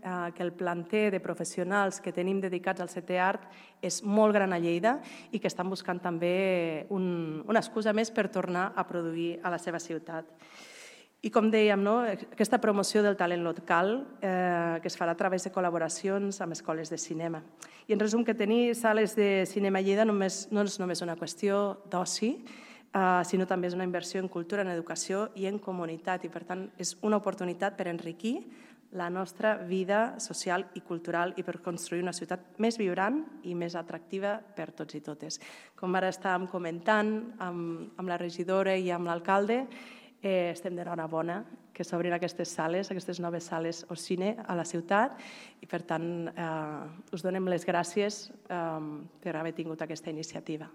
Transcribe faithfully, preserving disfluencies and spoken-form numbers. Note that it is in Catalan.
que el planter de professionals que tenim dedicats al setè art és molt gran a Lleida i que estan buscant també un, una excusa més per tornar a produir a la seva ciutat. I com dèiem, no? Aquesta promoció del talent local eh, que es farà a través de col·laboracions amb escoles de cinema. I en resum, que tenir sales de cinema a Lleida només, no és només una qüestió d'oci, eh, sinó també és una inversió en cultura, en educació i en comunitat. I per tant és una oportunitat per enriquir la nostra vida social i cultural i per construir una ciutat més vibrant i més atractiva per tots i totes. Com ara estàvem comentant amb, amb la regidora i amb l'alcalde, eh, estem d'enhorabona que s'obrin aquestes sales, aquestes noves sales o cine a la ciutat i per tant eh, us donem les gràcies eh, per haver tingut aquesta iniciativa.